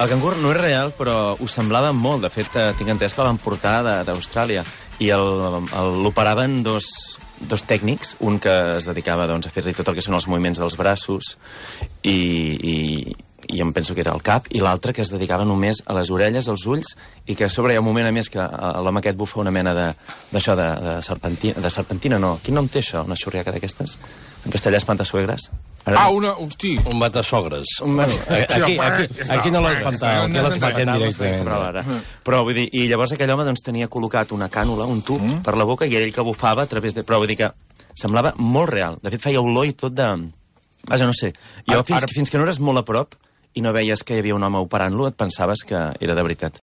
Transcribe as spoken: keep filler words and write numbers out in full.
El cangur no és real, però ho semblava molt. De fet, tinc entès que el van portar d'Austràlia i l'operaven dos, dos tècnics, un que es dedicava doncs, a fer-li tot el que són els moviments dels braços i, i, i em penso que era el cap, i l'altre que es dedicava només a les orelles, als ulls, i que a sobre hi ha un moment, a més, que l'home aquest bufa una mena d'això, de, de, de, serpentina, de serpentina, no. Quin nom té això, una xurriaca d'aquestes? En castellà espantasuegres. Ara... Ah, una... Hosti! Un matasogres. Un... Bueno, aquí, aquí, aquí no l'espantar, aquí l'espantem directament. Però, però vull dir, i llavors aquell home doncs, tenia col·locat una cànula, un tub, mm. per la boca, i era ell que bufava a través de... Però vull dir que semblava molt real. De fet, feia olor i tot de... Vaja, no sé. Jo, fins, ara... fins que no eres molt a prop i no veies que hi havia un home operant-lo, et pensaves que era de veritat.